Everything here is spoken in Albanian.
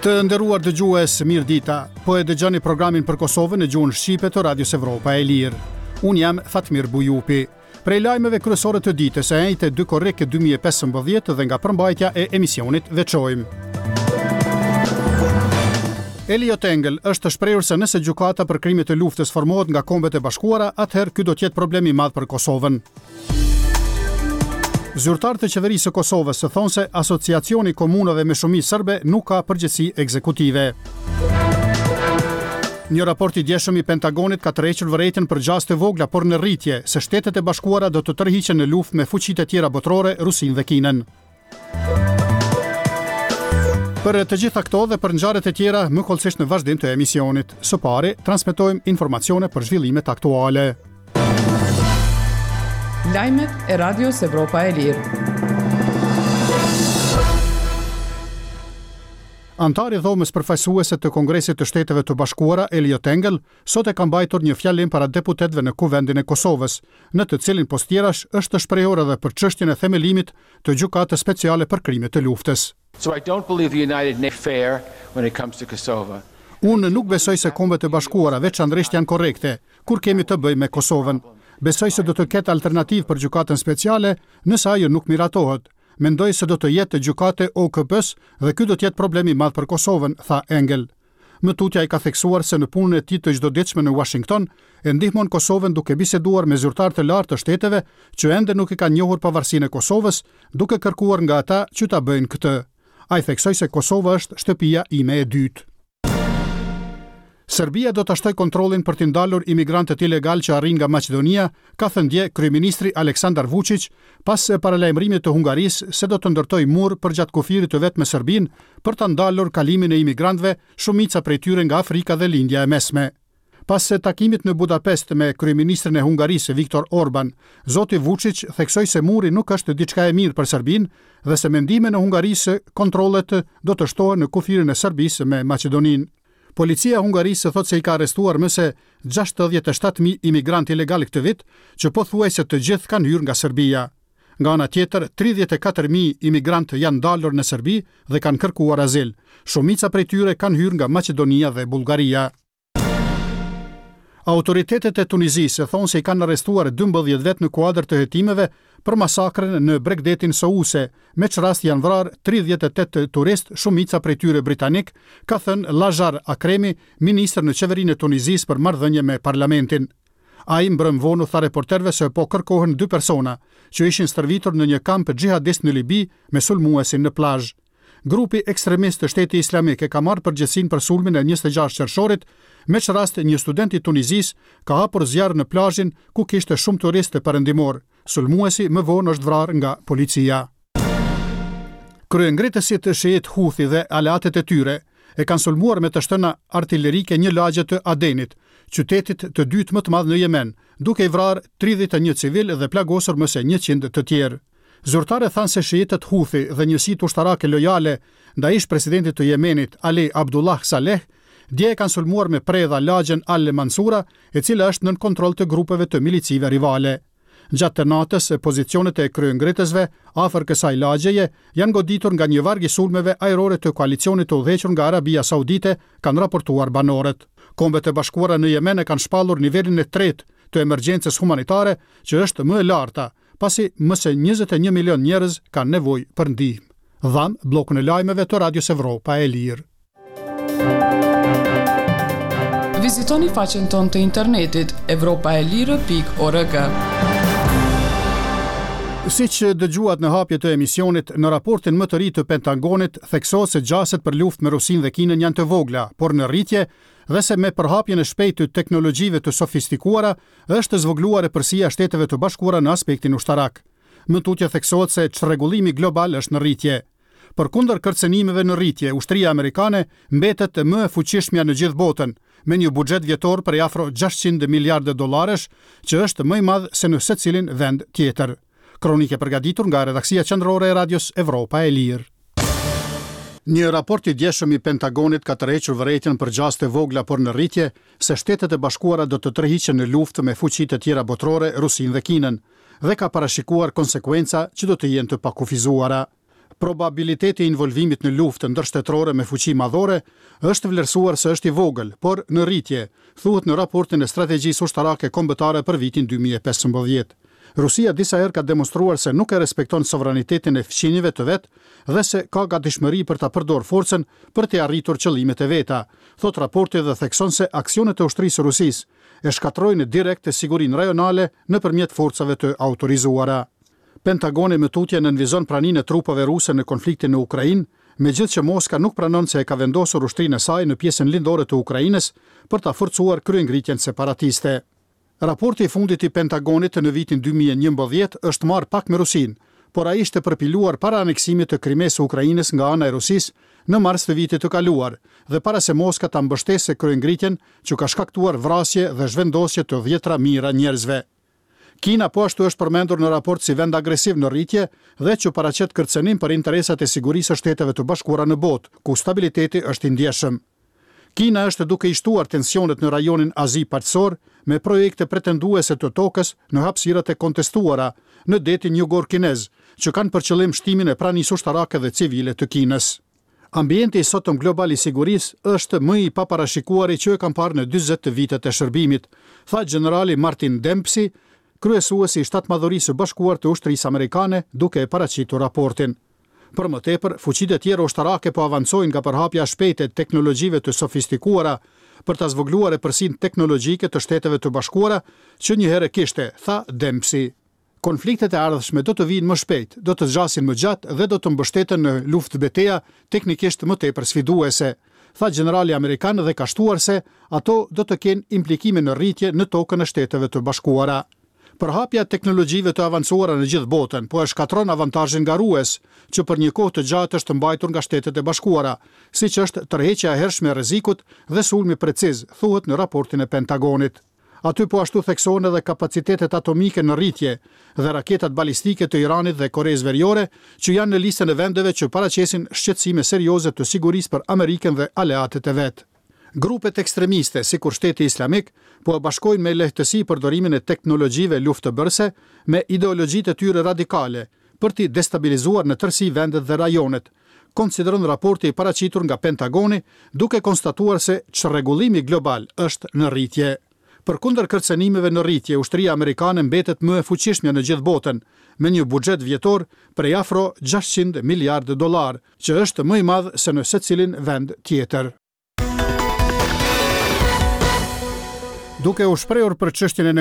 Të nderuar dëgjues, mirëdita. Po e dëgjoni programin për Kosovën në gjuhën shqipe të Radios Evropa e Lirë. Unë jam Fatmir Bujupi. Prej lajmeve kryesore të ditës së enjte 2 korrik 2015 dhe nga përmbajtja e emisionit veçojmë. Eliot Engel është shprehur se nëse gjykata për krime të luftës formohet nga Kombet e Bashkuara, atëherë ky do të jetë problem i madh për Kosovën. Zyrtarë të Qeverisë së Kosovës thonë se Asociacioni i Komunave me Shumicë Serbe nuk ka përgjegjësi ekzekutive. Një raport i djeshëm i Pentagonit ka tërhequr vërejtjen për gjasë të vogla, por në rritje, se Shtetet e Bashkuara do të tërhiqen në luftë me fuqitë e tjera botërore, Rusinë dhe Kinën. Për të gjitha këto dhe për ngjarjet e tjera, më hollësisht në vazhdim të emisionit. Së pari, transmetojmë informacione për zhvillimet aktuale. Lajmet e Radios Evropa e Lirë. Anëtari i Dhomës Përfaqësuese të Kongresit të Shteteve të Bashkuara, Eliot Engel, sot e ka mbajtur një fjalim para deputetëve në Kuvendin e Kosovës, në të cilin pos tjerash është shprehur edhe për çështjen e themelimit të Gjykatës Speciale për Krime të Luftës. So I don't believe the United Na fair when it comes to Kosova. Unë nuk besoj se Kombet e Bashkuara veçanërisht janë korrekte, kur kemi të bëjmë me Kosovën. Besoj se do të ketë alternativë për Gjykatën Speciale, nëse ajo nuk miratohet. Mendoj se do të jetë gjykatë e OKB-së dhe ky do të jetë problem i madh për Kosovën, tha Engel. Më tutje ai ka theksuar se në punën e tij të çdoditshme në Uashington, e ndihmon Kosovën duke biseduar me zyrtarë të lartë të shteteve që ende nuk e kanë njohur pavarësinë e Kosovës, duke kërkuar nga ata që ta bëjnë këtë. Ai theksoi se Kosova është shtëpia ime e dytë. Serbia do ta shtojë kontrollin për t'i ndalur imigrantët ilegalë që arrijnë nga Maqedonia, ka thënë dje kryeministri Aleksandar Vuçiq, pas paralajmërimit të Hungarisë se do të ndërtojë mur përgjatë kufirit të vet me Serbinë për ta ndalur kalimin e imigrantëve, shumica prej tyre nga Afrika dhe Lindja e Mesme. Pas takimit në Budapest me kryeministrin e Hungarisë, Viktor Orban, zoti Vuçiq theksoi se muri nuk është diçka e mirë për Serbinë dhe se me ndihmën e Hungarisë kontrollet do të shtohen në kufirin e Serbisë me Maqedoninë. Policia e Hungarisë thotë se i ka arrestuar më se 67.000 imigrantë ilegalë këtë vit, që pothuajse të gjithë kanë hyrë nga Serbia. Nga ana tjetër, 34.000 imigrantë janë ndalur në Serbi dhe kanë kërkuar azil. Shumica prej tyre kanë hyrë nga Maqedonia dhe Bullgaria. Autoritetet e Tunizisë thonë se i kanë arrestuar 12 vetë në kuadër të hetimeve për masakrën në bregdetin Souse, me ç'rast janë vrarë 38 turistë, shumica prej tyre britanikë, ka thënë Lazhar Akremi, ministër në qeverinë e Tunizisë për marrëdhënie me parlamentin. Ai mbrëmë vonë u tha reporterëve se po kërkohen dy persona, që ishin stërvitur në një kamp xhihadist në Libi me sulmuesin në plazh. Grupi ekstremist Shteti Islamik e ka marrë përgjegjësinë për sulmin e 26 qershorit, me ç'rast një student i Tunizisë ka hapur zjarr në plazhin ku kishte shumë turistë perëndimorë. Sulmuesi më vonë është vrarë nga policia. Kryengritësit shiit Huthi dhe aleatët e tyre e kanë sulmuar me të shtëna artilerike një lagje të Adenit, qytetit të dytë më të madh në Jemen, duke i vrarë 31 civilë dhe plagosur më se 100 të tjerë. Zyrtarët thanë se shiitët Huthi dhe njësitë ushtarake lojale ndaj ish-presidentit të Jemenit, Ali Abdullah Saleh, dje e kanë sulmuar me predha lagjen Al-Mansura, e cila është nën kontroll të grupeve të milicive rivale. Gjatë natës, pozicionet e kryengritësve afër kësaj lagjeje janë goditur nga një varg i sulmeve ajrore të koalicionit të udhëhequr nga Arabia Saudite, kanë raportuar banorët. Kombet e Bashkuara në Jemen e kanë shpallur nivelin e tretë të emergjencës humanitare, që është më e larta, pasi më se 21 milionë njerëz kanë nevojë për ndihmë. Dhamë bllokun e lajmeve të Radios Evropa e Lirë. Vizitoni faqen tonë të internetit evropaelire.org. Siç dëgjuat në hapje të emisionit, në raportin më të ri të Pentagonit theksohet se gjasat për luftë me Rusinë dhe Kinën janë të vogla, por në rritje dhe se me përhapjen e shpejtë të teknologjive të sofistikuara është zvogëluar epërsia e Shteteve të Bashkuara në aspektin ushtarak. Më tutje theksohet se çrregullimi global është në rritje. Përkundër kërcënimeve në rritje, ushtria amerikane mbetet më e fuqishmja në gjithë botën, me një buxhet vjetor prej afro 600 miliardë dollarësh, që është më i madh se në secilin vend tjetër. Kronikë e përgatitur nga redaksia qendrore e Radios Evropa e Lirë. Një raport i djeshëm i Pentagonit ka tërhequr vërejtjen për gjasë të vogla por në rritje se Shtetet e Bashkuara do të tërhiqen në luftë me fuqitë e tjera botërore, Rusinë dhe Kinën, dhe ka parashikuar konsekuenca që do të jenë të pakufizuara. Probabiliteti i involvimit në luftë ndërshtetërore me fuqi madhore është vlerësuar se është i vogël, por në rritje, thuhet në raportin e Strategjisë Ushtarake Kombëtare për vitin 2015. Rusia disa herë ka demonstruar se nuk e respekton sovranitetin e fqinjëve të vet dhe se ka gatishmëri për ta përdorë forcën për t'i arritur qëllimet e veta, thotë raporti dhe thekson se aksionet e ushtrisë së Rusisë e shkatërrojnë direkt sigurinë rajonale nëpërmjet forcave të autorizuara. Pentagoni më tutje nënvizon praninë e trupave ruse në konfliktin në Ukrainë, megjithëqë Moska nuk pranon se e ka vendosur ushtrinë e saj në pjesën lindore të Ukrainës për ta forcuar kryengritjen separatiste. Raporti i fundit i Pentagonit në vitin 2011 është marrë pak me Rusinë, por ai ishte përpiluar para aneksimit të Krimesë së Ukrainës nga ana e Rusisë në mars të vitit të kaluar dhe para se Moska ta mbështesë kryengritjen që ka shkaktuar vrasje dhe zhvendosje të dhjetëra mijëra njerëzve. Kina po ashtu është përmendur në raport si vend agresiv në rritje dhe që paraqet kërcënim për interesat e sigurisë së Shteteve të Bashkuara në botë, ku stabiliteti është i ndjeshëm. Kina është duke i shtuar tensionet në rajonin Azi-Paqësor me projekte pretenduese të tokës në hapësirat e kontestuara në detin jugor kinez, që kanë për qëllim shtimin e pranisë ushtarake dhe civile të Kinës. Ambienti i sotëm global i sigurisë është më i paparashikuari që e kam parë në 40 vitet e shërbimit, tha gjenerali Martin Dempsey, kryesuesi i Shtatmadhorisë së Bashkuar të Ushtrisë Amerikane, duke e paraqitur raportin. Për më tepër, fuqitë e tjera ushtarake po avancojnë nga përhapja e shpejtë e teknologjive të sofistikuara për ta zvogëluar epërsinë teknologjike të Shteteve të Bashkuara që njëherë e kishte, tha Dempsey. Konfliktet e ardhshme do të vijnë më shpejt, do të zgjasin më gjatë dhe do të mbështeten në luftëbeteja teknikisht më tepër sfiduese, tha gjenerali amerikan dhe ka shtuar se ato do të kenë implikime në rritje në tokën e Shteteve të Bashkuara. Përhapja e teknologjive të avancuara në gjithë botën po e shkatërron avantazhin garues, që për një kohë të gjatë është mbajtur nga Shtetet e Bashkuara, siç është tërheqja e hershme e rrezikut dhe sulmi preciz, thuhet në raportin e Pentagonit. Aty po ashtu theksohen edhe kapacitetet atomike në rritje dhe raketat balistike të Iranit dhe Koresë Veriore, që janë në listën e vendeve që paraqesin shqetësime serioze të sigurisë për Amerikën dhe aleatët e vet. Grupet ekstremiste, sikur Shteti Islamik, po e bashkojnë me lehtësi përdorimin e teknologjive luftëbërëse me ideologjitë e tyre radikale, për t'i destabilizuar në tërësi vendet dhe rajonet, konsideron raporti i paraqitur nga Pentagoni, duke konstatuar se çrregullimi global është në rritje. Përkundër kërcënimeve në rritje, ushtria amerikane mbetet më e fuqishmja në gjithë botën, me një buxhet vjetor prej afro 600 miliardë dollarë, që është më i madh se në secilin vend tjetër. Duke u shprehur për çështjen e.